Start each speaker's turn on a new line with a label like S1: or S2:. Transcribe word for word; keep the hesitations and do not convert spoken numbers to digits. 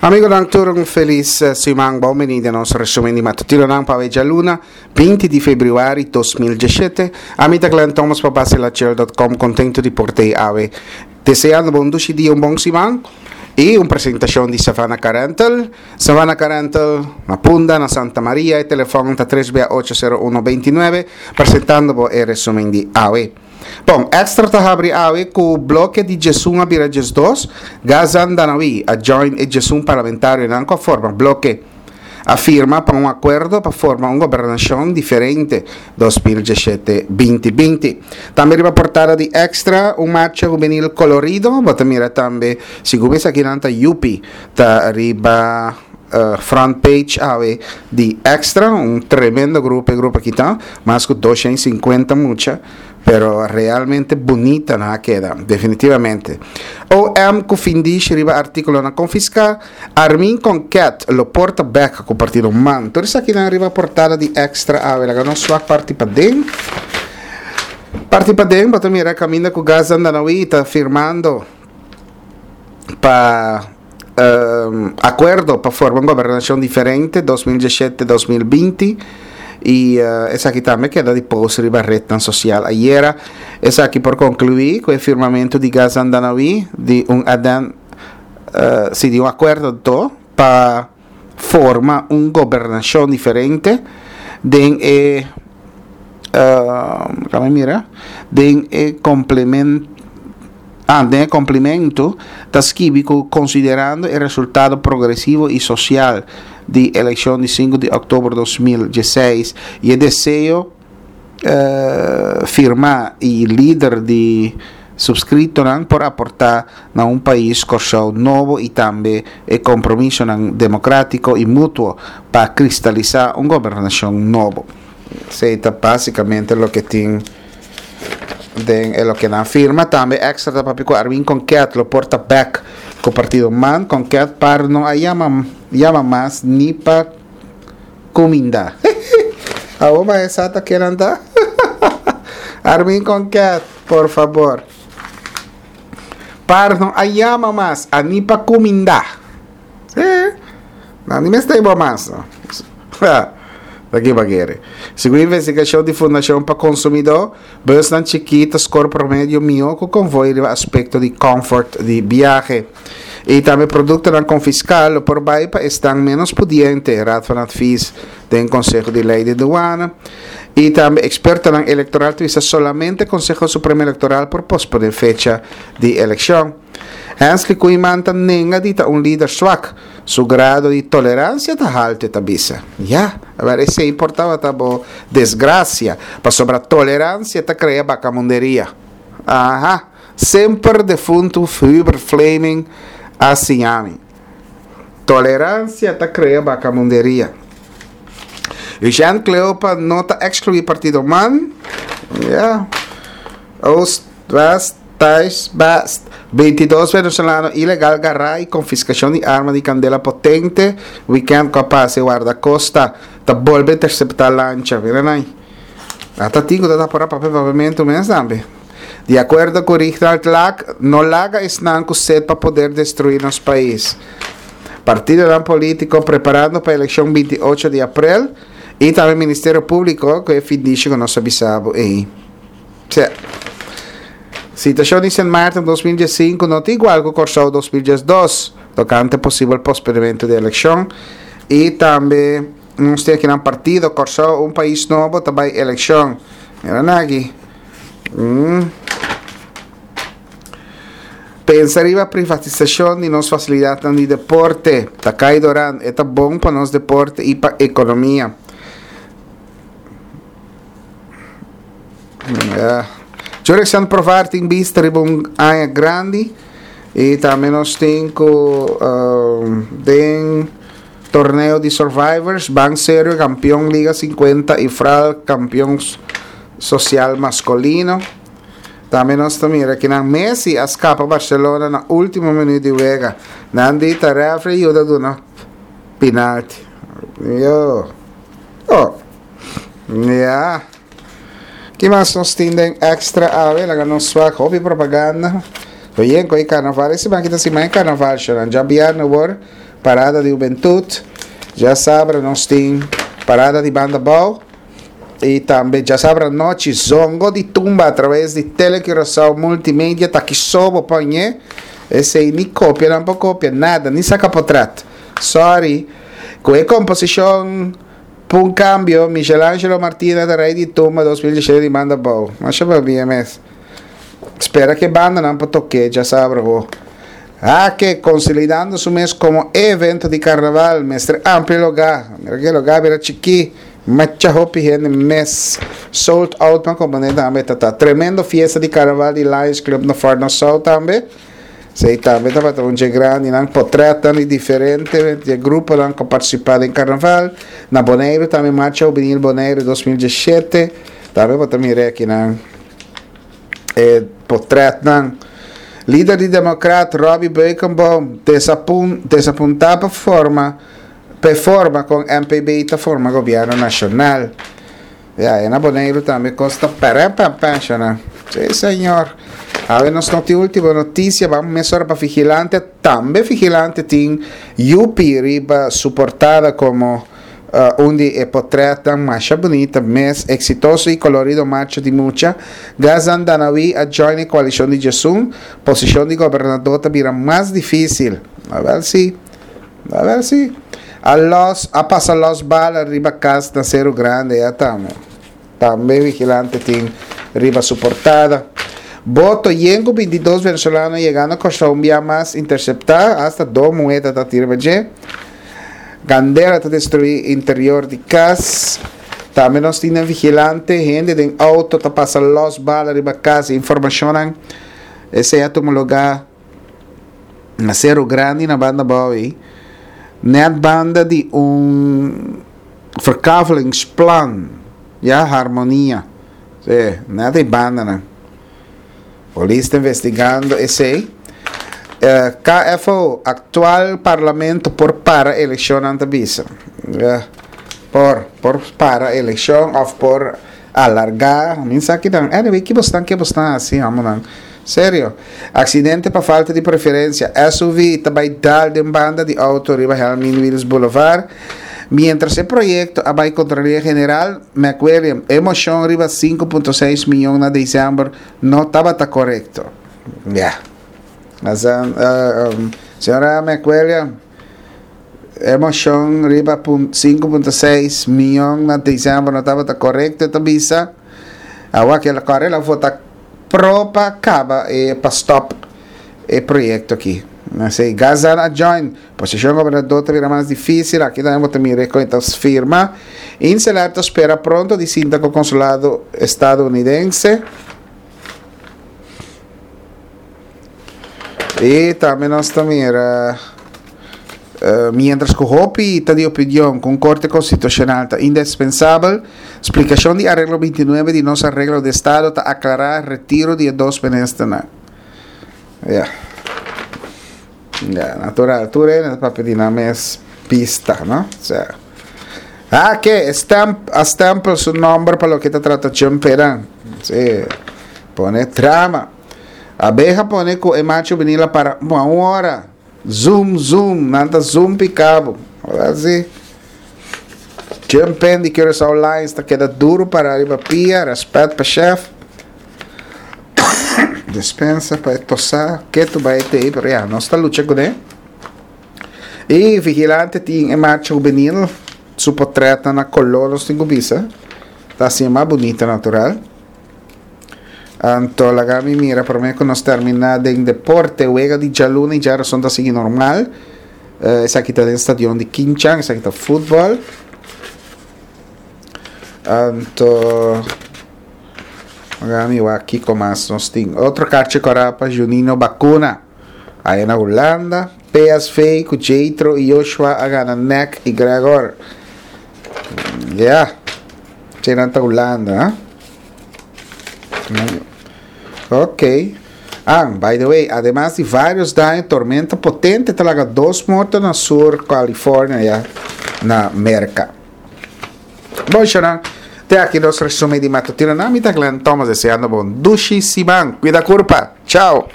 S1: Amigonan tur un felis siman, bon bini den nos resumen di matutinonan pa djaluna binti di februari dos mil diesshete. Ami ta Glenn Thomas pa Basilachel dot com, contento di por tei awe. Deseando bo un dushi dia, un bon siman y un presentacion di Savannah Car Rental. Savannah Car Rental na Punda, na Santa Maria, e telefon ta tres bia ocho sero uno binti nuebe, presentando bo e resumen di awe. Bon, Extra ta habri awe ku bloke di djesun a bira djesdos, Gazan Danawi a join e djesun parlamentarionan ku a forma bloke. A firma pa un akuerdo pa forma un gobernashon diferente dos mil diesshete binti binti. Tambe riba portada di Extra un marcha hubenil kolorido, bo ta mira tambe segun esakinan ta Yupi ta riba front page awe di Extra, un tremendo grupo e grupo aki ta, mas ku doshen sinkuenta mucha, pero realmente bunita nan a keda, definitivamente. O M ku findishi riba artíkulonan konfiská, Armin Konket lo porta bèk ku partido man. Tur esakinan riba portada di Extra awe, laga nos swak parti paden. Parti paden bo ta mira kaminda ku Gazan Danawi ta firmando pa akuerdo pa forma un gobernashon diferente dos mil diesshete dos mil binti i esaki tambe keda di post riba retnan sosial ayera. Esaki por konkluí ku e firmamentu di Gazan Danawi di un aden si di un akuerdo anto pa forma un gobernashon diferente den e kami mira den e komplement ah den e komplimento ta skibi ku konsiderando e resultado progresivo i sosial di elekshon di sinku di òktober dos mil diesseis i e deseo firmá i lider di subskritonan por aportá na un pais Kòrsou nobo i tambe e kompromisonan demokratiko i mutuo pa kristalisá un gobernashon nobo. Esei ta básikamente loke tin den e loke nan firma. Tambe Extra ta papia ku Armin Konket lo por ta bèk ku partido man. Konket par no a yama yama mas ni pa kuminda. Awor ba e sa ta kenan ta? Armin Konket, por fabor. Par no a yama mas a ni pa kuminda. Sí. Nan ni mester bo mas. Ta ki bagere. Segun investigashon di Fundashon pa Konsumidó, busnan chikí ta skor promedio mihó ku konvoi riba aspekto di kòmfort di biahe. I tambe produktonan konfiská lo por bai pa esnan ménos pudiente, Raad van Advies den Konseho di Lei di Duana. I tambe ekspertonan elektoral ta bisa solamente Konseho Supremo Elektoral por posponé fecha di elekshon. Hensley Koeiman ta nenga di ta un lider swak. Su grado di toleransia ta haltu, e ta bisa. Ya, awor esei por tabata bo desgrasia, pasobra toleransia ta krea bakamunderia. Aha, semper defuntu Hubert Fleming a siña mi. Toleransia ta krea bakamunderia. Eugène Cleopa no ta ekskluí partido man. Ya. Oost, West, Thuis, Best. Bintidos venezolano ilegal gará i konfiskashon di arma di kandela potente wikènt ku a pasa e wardakosta ta bolbe interseptá lancha. Mira nai. Ata tin ku ta tapora papia papiamentu mes tambe. Di akuerdo ku Rignald Laak, no laga esnan ku sed pa poder destruí nos pais. Partidonan polítiko preparando pa elekshon binti ocho di aprel i tambe Ministerio Públiko ku e findishi ku nos a bisa bo ei. Tja. Situashon di Sint Maarten dos mil diesinku no ta igual ku Kòrsou dos mil diesdos tokante posibel posponementu di elekshon i tambe nos tin akinan partido Kòrsou un pais nobo ta bai elekshon. Mira nan aki. Mm. Pensa riba privatisashon di nos fasilidatnan di deporte. Ta kai Doran, e ta bon pa nos deporte i pa ekonomia. Jurickson Profar tin bista riba un aña grandi y tambe nos tin cu den torneo di Survivors Ban Serio campeon Liga cincuenta y Fral campeon social masculino. Tambe nos ta mira kinan Messi a scapa Barcelona na ultimo minuut di wega. Nan di ta referee yuda duna penalti. Yo. Oh. Ya. Ki mas nos tin den extra awe? Laga nos swak hopi propaganda. Oye, ku e karnaval. E siman ki ta siman e karnaval, shonan. Djabièrnè wor Parada di Hubentut. Djasabra nos tin Parada di Banda Bou. I tambe djasabra anochi Zongo di Tumba atraves di Tele Curaçao Multimedia ta ki so bo por hañ'é. Esei ni kopia nan por kopia, nada, ni saka potret. Sorry. Ku e komposishon P'un Kambio, Michelangelo Martina ta rei di tumba dos mil diesshete di Banda Bou. Masha pabia mes. Spera ku e bandanan por tok'é djasabra ho. Hake, konsolidando su mes komo e evento di karnaval, mester amplia logá. Mira ku e logá bira chikí, macha hopi hende mes. Sold out pa komponé tambe ta ta. Tremendo fiesta di karnaval di Lions Club na Fort Nassau tambe. Esei tambe tabata un dje grandinan. Potrètnan di diferente dje gruponan ku a partisipá den karnaval. Na Boneiru tambe Marcha Hubenil Boneiru dos mil diesshete. Tambe bo ta mira akinan e potrètnan. Lider di Demokrat Robby Beukenboom desapuntá pa forma p'e forma kon M P B ta forma gobièrnu nashonal. Ya, e na Boneiru tambe kos ta pèrèpèpèshanan. Sí señor. Awe nos no tin último notisia, ban mesora pa Vigilante. Tambe Vigilante tin Yupi riba su portada komo Un di e potretnan masha bunita mes, exitoso y colorido marcha di mucha. Gazan Danawi a join e coalicion di djesun. Posicion di gobernador ta bira mas dificil. Awel si. Awel si. A los, a pasa los bala riba cas na Seru Grande ya tambe. Tambe Vigilante tin riba su portada. Boto yen cu bintidos venezolano yegando Corsou un bia mas intercepta, hasta dos muhe ta ta tira pa dje. Candela ta destrui interior di cas. Tambe nos tin den Vigilante, hende den auto ta pasa los bala riba cas. Informacionnan esey a tuma lugar na Seru Grandi na banda abao ey. Net banda di un verkavelingsplan, ya, Harmonia. Sí, net ey bandanan. Polis ta investigando esey. K F O, actual parlamento por para eleccionnan ta bisa. Por, por para eleccion of por alarga. Mi sa kinan. Anyway, ki bosnan ke bosnan haci, homonan? Serio. Accidente pa falta di preferencia. S U V ta bay dal den banda di auto riba Helmin Wiels Boulevard. Mientras e proyecto a bay Contraloria General, McWilliam, e mocion riba sinku punto seis miyon na december no tabata corecto. Ya. Asa, uh, um, señora McWilliam, e mocion riba pun-, sinku punto seis miyon na december no tabata corecto, ta bisa. Awa que la corre la vota pro pa caba e pa stop e proyecto aki. Así, Gazan a join. Posicion gobernador ta bira mas difícil. Aki tambe bo ta mira con ta firma. Inselar ta spera pronto di sinta con consulado estadounidense. Y tambe nos ta mira, eh, mientras cu hopi ta di opinion cu un corte constitucional ta indispensabel, splicacion di arreglo veintinuebe di nos arreglo de estado ta aclara retiro di e dos ministernan. Ja. Ja, natural. Tur e na papia di nan mes pista, no? O sea. Ah, que stamp, a stempel su nombre pa loke ta trata Jumperan. Sí. Pone trama. Abeja pone cu e macho vinila para un hora. Zoom, zoom. Nan ta zoom picabo. Así. Jumpen di Curaçao Lions ta queda duro para arriba pia. Respet pa chef. Despensa pa tosa. Que tu vai te, pero ya, no está lucha con él. Y Vigilante tin e marcha juvenil. Su portret na color, nos tin bisa. Ta así más bonita natural. Anto laga mi mira, por me que nos termina den deporte, wega di djaluna y djarason ta sigui normal. Eh, esaki ta den stadion di Kinchan, esaki ta fútbol. Anto laga mi wak kiko mas nos tin. Otro karchi kora pa Juninho Bacuna. Aya na Hulanda, P S V ku Jethro y Joshua a gana N E C y Gregor. Ja. Che nan ta Hulanda, ha? Ok. Ah, by the way, además di varios daño, tormenta potente ta laga dos morto na Sur California, ya, na Merca. Bon, Sharon, te aki nos resumen di matutino. Na mi ta Glenn Thomas deseando bon dushi siman. Cuida curpa. Chao.